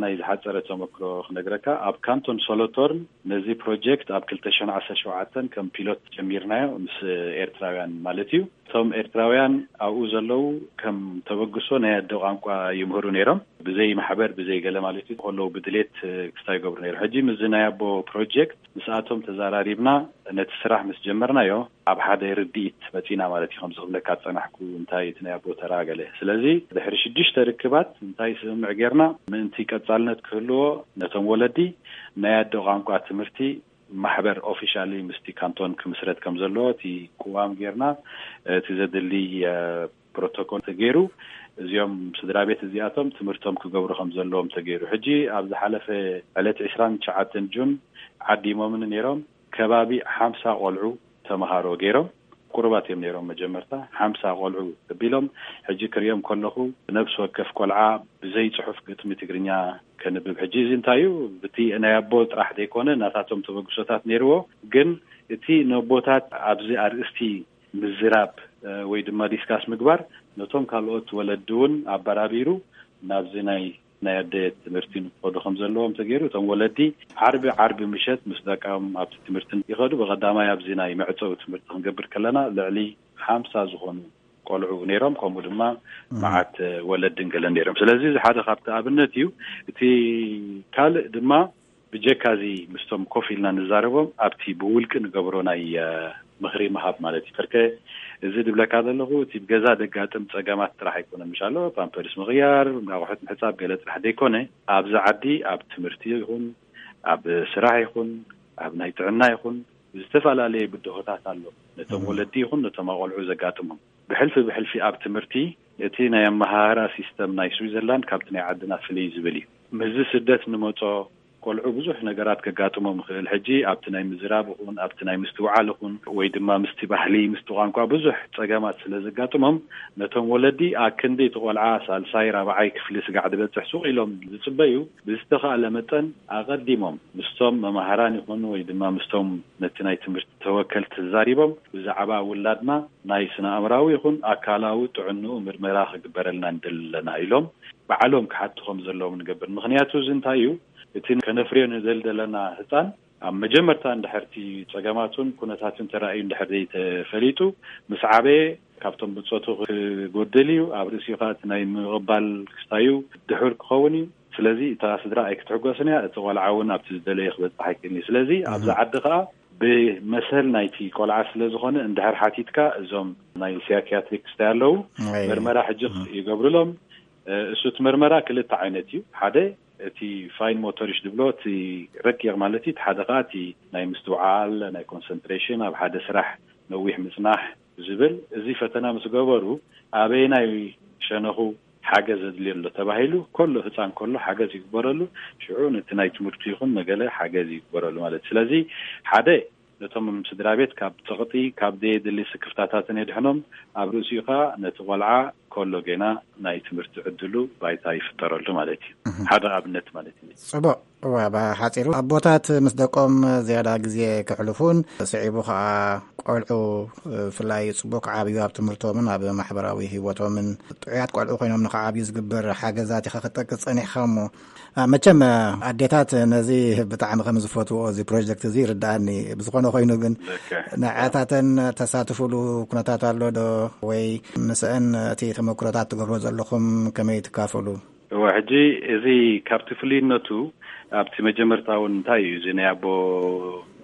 ናይ ዝሓጸረ ተመክሮ ክነግረካ፣ ኣብ ካንቶን ሶሎቶርን ነዚ ፕሮጀክት ኣብ ክልተ ሽሕን ዓሰርተ ሸውዓተን ከም ፒሎት ጀሚርናዮ ምስ ኤርትራውያን ማለት እዩ። እቶም ኤርትራውያን ኣብኡ ዘለዉ ከም ተበግሶ ናይ ኣደ ቋንቋ ይምህሩ ነይሮም። ብዘይ ማሕበር፣ ብዘይ ገለ ማለት እዩ። ከለዉ ብድሌት ክስታይ ይገብሩ ነይሩ። ሕጂ ምስዚ ናይ ኣቦ ፕሮጀክት ምስኣቶም ተዘራሪብና ነቲ ስራሕ ምስ ጀመርናዮ ኣብ ሓደ ርድኢት መጺና ማለት እዩ። ከምዚ ክብለካ ዝጸናሕኩ እንታይ እቲ ናይ ኣቦ ተራ ገለ። ስለዚ ድሕሪ ሽዱሽተ ርክባት እንታይ ስምምዕ ጌርና ምእንቲ ቀጻልነት ክህልዎ ነቶም ወለዲ ናይ ኣደ ቋንቋ ትምህርቲ ማሕበር ኦፊሻሊ ምስቲ ካንቶን ክምስረት ከም ዘለዎ እቲ ቅዋም ጌርና፣ እቲ ዘድሊ፣ እ፣ ፕሮቶኮል ተገይሩ፣ እዚኦም ስድራ ቤት እዚኣቶም ትምህርቶም ክገብሩ ከም ዘለዎም ተገይሩ። ሕጂ ኣብ ዝሓለፈ ዕለት ዕስራን ትሽዓተን ጁን ዓዲሞምን ነይሮም፣ ከባቢ ሓምሳ ቆልዑ ተምሃሮ ገይሮም። ቁሩባት እዮም ነይሮም መጀመርታ፣ ሓምሳ ቆልዑ ተቢሎም። ሕጂ ክሪኦም ከለኹ፣ ነፍሲ ወከፍ ቆልዓ ብዘይ ጽሑፍ ግጥሚ ትግርኛ ከንብብ። ሕጂ እዚ እንታይ እዩ? እቲ ናይ ኣቦ ጥራሕ ዘይኮነ፣ ናታቶም ተበግሶታት ነይርዎ። ግን እቲ ነቦታት ኣብዚ ኣርእስቲ ምዝራብ፣ እ፣ ወይ ድማ ዲስካስ ምግባር፣ ነቶም ካልኦት ወለዲ እውን ኣበራቢሩ ናብዚ ናይ፣ ናይ ኣደ ትምህርቲ ንክኸዱ ከም ዘለዎም ተገይሩ። እቶም ወለዲ ዓርቢ፣ ዓርቢ ምሸት ምስ ደቃም ኣብቲ ትምህርቲ ይኸዱ። ብቐዳማይ ኣብዚ ናይ መዕጸዊ ትምህርቲ ክንገብር ከለና ልዕሊ ሓምሳ ዝኾኑ ቆልዑ ነይሮም፣ ከምኡ ድማ እም። መዓት ወለድን ገለን ነይሮም። ስለዚ እዚ ሓደ ካብቲ ኣብነት እዩ። እቲ ካልእ ድማ ብጀካ እዚ ምስቶም ኮፍ ኢልና ንዛረቦም ኣብቲ ብውልቂ ንገብሮ ናይ፣ እ፣ ምኽሪ ምሃብ ማለት እዩ። ከርከ እዚ ድብለካ ዘለኹ እቲ ብገዛ ደጋጥም ጸገማት ጥራሕ ኣይኮነን። ምሻሎ ፓምፐርስ ምቕያር፣ ኣቑሑት ምሕጻብ ገለ ጥራሕ ዘይኮነ ኣብዚ ዓዲ ኣብ ትምህርቲ ይኹን ኣብ ስራሕ ይኹን ኣብ ናይ ጥዕና ይኹን ዝተፈላለየ ብድሆታት ኣሎ። ነቶም እም። ወለዲ ይኹን ነቶም ኣቆልዑ ዘጋጥሞም ብሕልፊ ብሕልፊ ኣብ ትምህርቲ እቲ ናይ ኣመሃህራ ሲስተም ናይ ስዊዘርላንድ ካብቲ ናይ ዓድና ፍልይ ዝብል እዩ። ምስዚ ስደት ንመጾ ቆልዑ ብዙሕ ነገራት ከጋጥሞም ይኽእል። ሕጂ ኣብቲ ናይ ምዝራብ ይኹን ኣብቲ ናይ ምስትውዓል ይኹን ወይ ድማ ምስቲ ባህሊ ምስቲ ቋንቋ ብዙሕ ጸገማት ስለ ዘጋጥሞም ነቶም ወለዲ ኣክንዲ እቲ ቆልዓ ሳልሳይ ራብዓይ ክፍሊ ስጋዕ ዝበጽሕ ሱቕ ኢሎም ዝጽበዩ ብዝተኻእለ መጠን ኣቐዲሞም ምስቶም መማህራን ይኹኑ ወይ ድማ ምስቶም ነቲ ናይ ትምህርቲ ተወከልቲ ተዛሪቦም ብዛዕባ ውላድና ናይ ስነ ኣእምራዊ ይኹን ኣካላዊ ጥዕንኡ ምርመራ ክግበረልና ንደሊ ኣለና ኢሎም ባዕሎም ክሓቱ ከም ዘለዎም ንገብር። ምኽንያቱ እዚ እንታይ እዩ? እቲ ከነፍርዮ ንደሊ ዘለና ህፃን ኣብ መጀመርታ እንድሕር እቲ ፀገማቱን ኩነታቱን ተራእዩ እንድሕር ዘይተፈሊጡ ምስ ዓበየ ካብቶም ብፆቱ ክጎድል እዩ። ኣብ ርእሲኡ ከዓ እቲ ናይ ምቕባል ክስታዩ ድሑር ክኸውን እዩ። ስለዚ እታ ስድራ ኣይክትሕጎስን እያ፣ እቲ ቆልዓ እውን ኣብቲ ዝደለዮ ክበፅሕ ኣይክእልን እዩ። ስለዚ ኣብዚ ዓዲ ከዓ ብመሰል ናይቲ ቆልዓ ስለ ዝኾነ እንድሕር ሓቲትካ እዞም ናይ ሳይኪያትሪክ ክስታይ ኣለዉ። ኣይ። ምርመራ ሕጂ ይገብሩሎም። እ፣ እሱ እቲ ምርመራ ክልተ ዓይነት እዩ። ሓደ እቲ ፋይን ሞቶሪሽ ዝብሎ እቲ ረቂቕ ማለት እዩ። እቲ ሓደ ከዓ እቲ ናይ ምስትውዓል፣ ናይ ኮንሰንትሬሽን፣ ኣብ ሓደ ስራሕ ነዊሕ ምጽናሕ ዝብል። እዚ ፈተና ምስ ገበሩ ኣበየናይ ሸነኹ ሓገዝ ዘድልዮ ኣሎ ተባሂሉ ከሎ ህፃን ከሎ ሓገዝ ይግበረሉ። ሽዑ ነቲ ናይ ትምህርቱ ይኹን ነገለ ሓገዝ ይግበረሉ ማለት እዩ። ስለዚ ሓደ ነቶም ስድራ ቤት ካብ ፀቕጢ ካብ ዘየድሊ ስክፍታታትን የድሕኖም። ኣብ ርእሲኡ ከዓ ነቲ ቆልዓ ከሎ ገና ናይ ትምህርቲ ዕድሉ ባይታ ይፍጠረሉ ማለት እዩ። ሓደ ኣብነት ማለት እዩ። ጽቡቅ። እዋ፣ ብሓጺሩ ኣቦታት ምስ ደቆም ዝያዳ ግዜ ከሕልፉን ስዒቡ ከኣ ቆልዑ ብፍላይ ጽቡቅ ክዓብዩ ኣብ ትምህርቶምን ኣብ ማሕበራዊ ህይወቶምን ጥዑያት ቆልዑ ኮይኖም ንኽዓብዩ ዝግበር ሓገዛት ኢኻ ክትጠቅስ ጸኒሕኻ እሞ፣ ኣ፣ መቸም ኣዴታት ነዚ ብጣዕሚ ከም ዝፈትዎ እዚ ፕሮጀክት እዚ ይርድኣኒ። ብዝኾነ ኮይኑ ግን ንዐታተን ተሳትፉሉ ኩነታት ኣሎ ዶ? ወይ ምስአን እቲ ተመክሮታት ትገብሮ ዘለኹም ከመይ ትካፈሉ? እወ፣ ሕጂ እዚ ካብቲ ፍሉይነቱ ኣብቲ መጀመርታ እውን እንታይ እዩ እዚ ናይ ኣቦ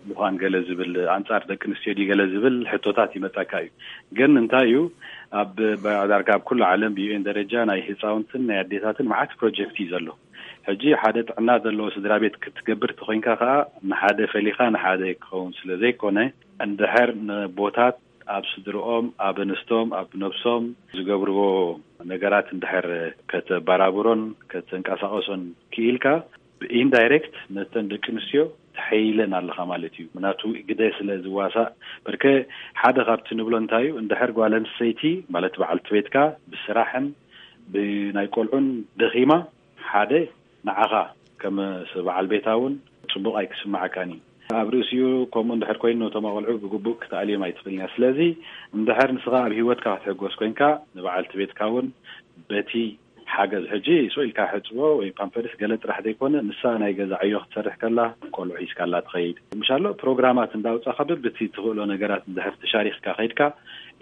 ምዃን ገለ ዝብል ኣንጻር ደቂ ኣንስትዮ ድዩ ገለ ዝብል ሕቶታት ይመጻካ እዩ። ግን እንታይ እዩ ኣብ ዳርጋ ኣብ ኩሉ ዓለም ብዩኤን ደረጃ ናይ ህፃውንትን ናይ ኣዴታትን መዓት ፕሮጀክት እዩ ዘሎ። ሕጂ ሓደ ጥዕና ዘለዎ ስድራ ቤት ክትገብር ተኮይንካ ከዓ ንሓደ ፈሊኻ ንሓደ ክኸውን ስለ ዘይኮነ እንድሕር ንቦታት ኣብ ስድርኦም ኣብ ኣንስቶም ኣብ ነብሶም ዝገብርዎ ነገራት እንድሕር ከተበራብሮን ከተንቀሳቀሶን ክኢልካ ብኢንዳይሬክት ነተን ደቂ ኣንስትዮ ተሐይለን ኣለኻ ማለት እዩ። ምናቱ ግደ ስለ ዝዋሳእ በርከ ሓደ ካብቲ ንብሎ እንታይ እዩ እንድሕር ጓል ኣንስተይቲ ማለት በዓልቲ ቤትካ ብስራሕን ብናይ ቆልዑን ደኺማ ሓደ ንዓኻ ከም በዓል ቤታ እውን ጽቡቕ ኣይክስምዓካን እዩ። ኣብ ርእሲኡ ከምኡ እንድሕር ኮይኑ ነቶም ኣቆልዑ ብግቡእ ክትኣልዮም ኣይትኽእልን እያ። ስለዚ እንድሕር ንስኻ ኣብ ህይወትካ ክትሕጎስ ኮይንካ ንበዓልቲ ቤትካ እውን በቲ ሓገዝ ሕጂ ስቕ ኢልካ ሕጽቦ ወይ ፓምፐርስ ገለ ጥራሕ ዘይኮነ ንሳ ናይ ገዛ ዕዮ ክትሰርሕ ከላ ቆልዑ ሒዝካላ ትኸይድ ምሻሎ ፕሮግራማት እንዳውጻኻ በብቲ ትኽእሎ ነገራት እንድሕር ተሻሪኽካ ከይድካ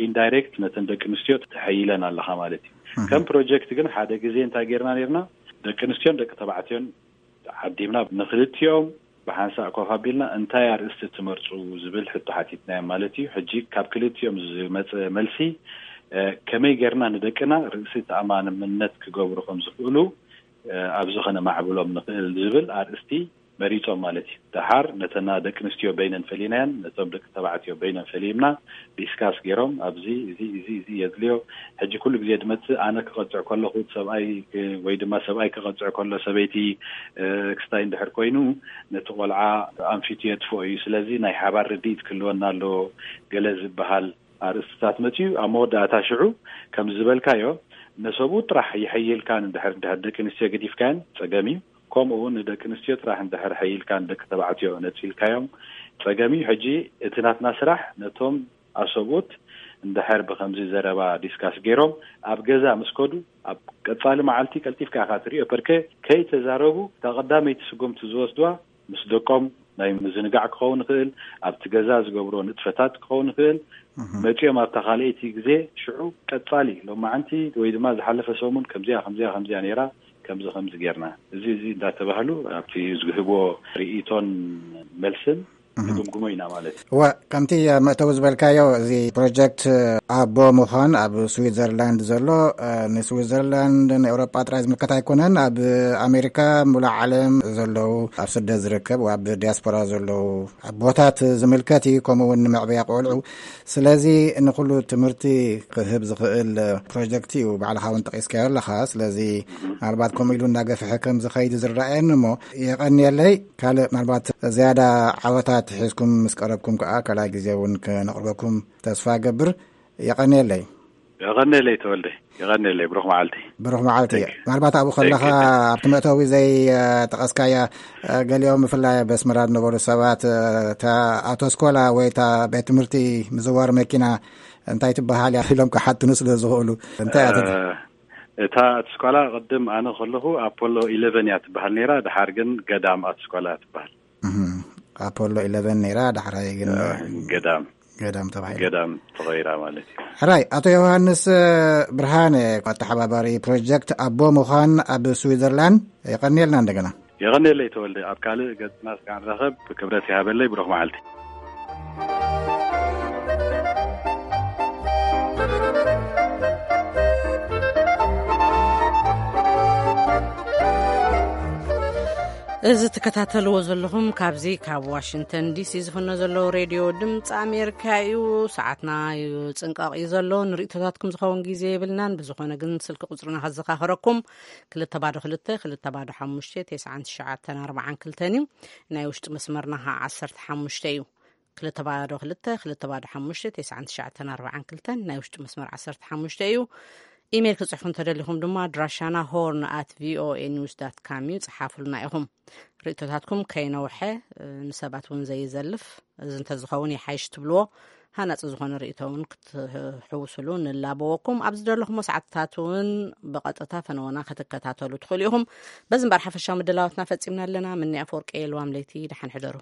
ኢንዳይሬክት ነተን ደቂ ኣንስትዮ ተሐይለን ኣለኻ ማለት እዩ። ከም ፕሮጀክት ግን ሓደ ግዜ እንታይ ጌርና ኔርና ደቂ ኣንስትዮን ደቂ ተባዕትዮን ዓዲምና ንክልቲኦም ብሓንሳእ ኮፍ ኣቢልና እንታይ ኣርእስቲ ትመርጹ ዝብል ሕቶ ሓቲትናዮም ማለት እዩ። ሕጂ ካብ ክልቲኦም ዝመጸ መልሲ ከመይ ጌርና ንደቅና ርእሲ ተኣማንነት ክገብሩ ከም ዝኽእሉ ኣብዚ ከነማዕብሎም ንኽእል ዝብል ኣርእስቲ መሪጾም ማለት እዩ። ደሓር ነተና ደቂ ኣንስትዮ በይነን ፈሊናየን ነቶም ደቂ ተባዕትዮ በይነን ፈሊምና ዲስካስ ገይሮም ኣብዚ እዚ እዚ እዚ የድልዮ ሕጂ ኩሉ ግዜ ድመጽእ ኣነ ክቐጽዕ ከለኹ ሰብኣይ ወይ ድማ ሰብኣይ ክቐጽዕ ከሎ ሰበይቲ ክስታይ እንድሕር ኮይኑ ነቲ ቆልዓ ኣንፊቱ የጥፍኦ እዩ። ስለዚ ናይ ሓባር ርድኢት ክህልወና ኣለዎ ገለ ዝበሃል ኣርእስትታት መጽዩ ኣብ መወዳእታ ሽዑ ከም ዝበልካዮ ነሰብኡ ጥራሕ ይሐይልካን እንድሕር እንድሕር ደቂ ኣንስትዮ ገዲፍካየን ጸገም እዩ። ከምኡ እውን ንደቂ ኣንስትዮ ጥራሕ እንድሕር ሐይልካን ደቂ ተባዕትዮ ነጺልካዮም ጸገም እዩ። ሕጂ እቲ ናትና ስራሕ ነቶም ኣሰብኡት እንድሕር ብከምዚ ዘረባ ዲስካስ ገይሮም ኣብ ገዛ ምስ ከዱ ኣብ ቀጻሊ መዓልቲ ቀልጢፍካ ኢኻ ትሪኦ። ፐርከ ከይተዛረቡ እታ ቀዳመይቲ ስጉምቲ ዝወስድዋ ምስ ደቆም ናይ ምዝንጋዕ ክኸውን ይኽእል፣ ኣብቲ ገዛ ዝገብሮ ንጥፈታት ክኸውን ይኽእል። መጺኦም ኣብታ ካልኣይቲ ግዜ ሽዑ ቀጻሊ ሎማዓንቲ ወይ ድማ ዝሓለፈ ሰሙን ከምዚኣ ከምዚኣ ከምዚኣ ነይራ ከምዚ ከምዚ ጌርና እዚ እዚ እንዳተባህሉ ኣብቲ ዝህብዎ ርእይቶን መልስን ንግምግሞ ኢና ማለት እዩ። እወ፣ ከምቲ ኣብ መእተዊ ዝበልካዮ፣ እዚ ፕሮጀክት ኣቦ ምዃን ኣብ ስዊዘርላንድ ዘሎ፣ እ፣ ንስዊዘርላንድ ንኤውሮጳ ጥራይ ዝምልከት ኣይኮነን። ኣብ ኣሜሪካ፣ ሙሉእ ዓለም ዘለዉ፣ ኣብ ስደት ዝርከብ፣ ኣብ ዲያስፖራ ዘለዉ ኣቦታት ዝምልከት እዩ። ከምኡ እውን ንመዕበያ ቆልዑ። ስለዚ ንኹሉ ትምህርቲ ክህብ ዝኽእል ፕሮጀክት እዩ። ባዕልኻ እውን ጠቒስካዮ ኣለኻ። ስለዚ ምናልባት ከምኡ ኢሉ እናገፍሐ ከም ዝኸይድ ዝረኣየኒ እሞ፣ የቐንየለይ። ካልእ ምናልባት ዝያዳ ዓወታት ሒዝኩም ምስ ቀረብኩም ከኣ ካልኣይ ግዜ እውን ከነቕርበኩም ተስፋ እገብር። የቐንየለይ። የቐንየለይ ተወልደ። የቐንየለይ። ብሩኽ መዓልቲ። ብሩኽ መዓልቲ። Thank you። ምናልባት ኣብኡ ከለኻ Thank you። ኣብቲ መእተዊ ዘይ፣ እ፣ ጠቐስካያ፣ እ፣ ገሊኦም ብፍላይ ኣብ ኣስመራ ዝነበሩ ሰባት፣ እ፣ እታ ኣውቶስኮላ ወይ እታ ቤት ትምህርቲ ምዝዋር መኪና እንታይ ትበሃል እያ ኢሎም ክሓትኑ ስለ ዝኽእሉ እንታይ እያ ትብል? እ፣ እታ ኣውቶስኮላ ቅድም ኣነ ከለኹ ኣፖሎ ኢለቨን እያ ትበሃል ነይራ። ድሓር ግን ገዳም ኣውቶስኮላ እያ ትበሃል። እህ፣ ኣፖሎ ኢለቨን ነይራ፣ ዳሕራይ ግን እ፣ ገዳም። ገዳም ተባሂላ። ገዳም ተቐይራ ማለት እዩ። ሕራይ፣ ኣቶ ዮሃንስ፣ እ፣ ብርሃነ፣ ኣተሓባባሪ ፕሮጀክት ኣቦ ምዃን ኣብ ስዊዘርላንድ፣ የቐንየልና እንደገና። የቐንየለይ ተወልደ፣ ኣብ ካልእ ገጽና እስካዕ ንራኸብ፣ ክብረት ይሃበለይ፣ ብሩኽ መዓልቲ። እዚ ትከታተልዎ ዘለኹም ካብዚ ካብ ዋሽንግተን ዲሲ ዝፍኖ ዘለዉ ሬድዮ ድምፂ ኣሜሪካ እዩ። ሰዓትና እዩ ፅንቃቕ እዩ ዘሎ። ንርእቶታትኩም ዝኸውን ግዜ የብልናን። ብዝኾነ ግን ስልኪ ቁፅርና ከዘኻኽረኩም፣ ክልተ ባዶ ክልተ፣ ክልተ ባዶ ሓሙሽተ፣ ተስዓን ትሽዓተን ኣርባዓን ክልተን እዩ። ናይ ውሽጢ መስመርና ከዓ ዓሰርተ ሓሙሽተ እዩ። ክልተ ባዶ ክልተ፣ ክልተ ባዶ ሓሙሽተ፣ ተስዓን ትሽዓተን ኣርባዓን ክልተን ናይ ውሽጢ መስመር ዓሰርተ ሓሙሽተ እዩ። ኢሜይል ክጽሕፉ እንተደሊኹም ድማ ኣድራሻና ሆርን ኣት ቪኦኤ ኒውስ ዳት ካም እዩ። ጽሓፉልና ኢኹም። ርእቶታትኩም ከይነውሐ፣ እ፣ ንሰባት እውን ዘይዘልፍ፣ እዚ እንተዝኸውን ይሓይሽ ትብልዎ ሃናጺ ዝኾነ ርእቶ እውን ክትሕውስሉ ንላበወኩም። ኣብ ዝደለኹሞ ሰዓትታት እውን ብቐጥታ ፈነወና ክትከታተሉ ትኽእሉ ኢኹም። በዚ እምበር ሓፈሻዊ ምድላዋትና ፈጺምና ኣለና። ምኒ ኣፈወርቂ የልዋም ለይቲ፣ ደሓን ሕደሩ።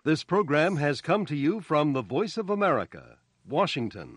This program has come to you from the Voice of America, Washington.